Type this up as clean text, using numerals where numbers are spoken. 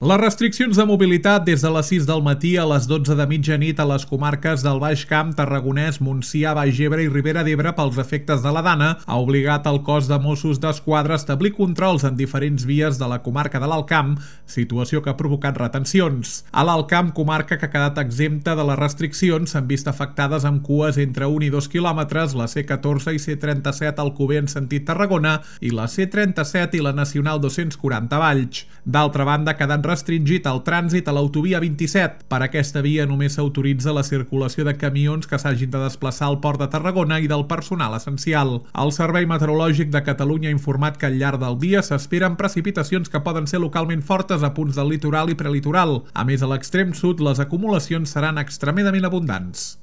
Les restriccions de mobilitat des de les 6 del matí a les 12 de mitjanit a les comarques del Baix Camp, Tarragonès, Montsià, Baix Ebre i Ribera d'Ebre pels efectes de la Dana ha obligat el cos de Mossos d'Esquadra a establir controls en diferents vies de la comarca de l'Alt Camp, situació que ha provocat retencions. A l'Alt Camp, comarca que ha quedat exempta de les restriccions, s'han vist afectades amb cues entre 1 i 2 quilòmetres la C14 i C37 Alcover en sentit Tarragona i la C37 i la Nacional 240 Valls. D'altra banda, ha quedat restringit el trànsit a l'autovia 27. Per aquesta via només s'autoritza la circulació de camions que s'hagin de desplaçar al Port de Tarragona i del personal essencial. El Servei Meteorològic de Catalunya ha informat que al llarg del dia s'esperen precipitacions que poden ser localment fortes a punts del litoral i prelitoral. A més, a l'extrem sud les acumulacions seran extremadament abundants.